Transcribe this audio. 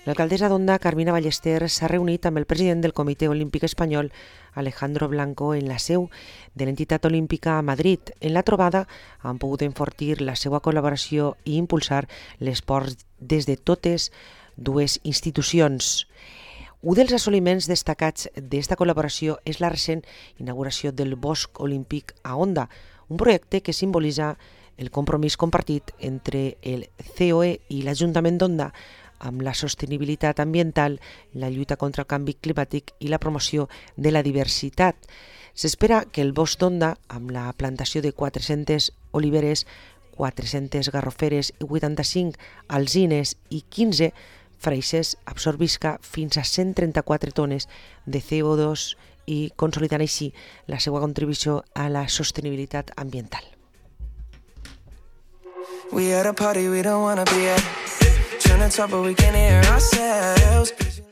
L'alcaldessa d'Onda, Carmina Ballester, s'ha reunit amb el president del Comitè Olímpic Espanyol, Alejandro Blanco, en la seu de l'entitat olímpica a Madrid. En la trobada han pogut enfortir la seva col·laboració i impulsar l'esport des de totes dues institucions. Un dels assoliments destacats d'esta col·laboració és la recent inauguració del Bosc Olímpic a Onda, un projecte que simbolitza el compromís compartit entre el COE i l'Ajuntament d'Onda amb la sostenibilitat ambiental, la lluita contra el canvi climàtic i la promoció de la diversitat. S'espera que el Bosc d'Onda, amb la plantació de 400 oliveres, 400 garroferes i 85 alzines i 15 freixes, absorbisca fins a 134 tones de CO2 i consolidant així la seva contribució a la sostenibilitat ambiental. We at a party we don't wanna be at. Trying to talk but we can't hear ourselves.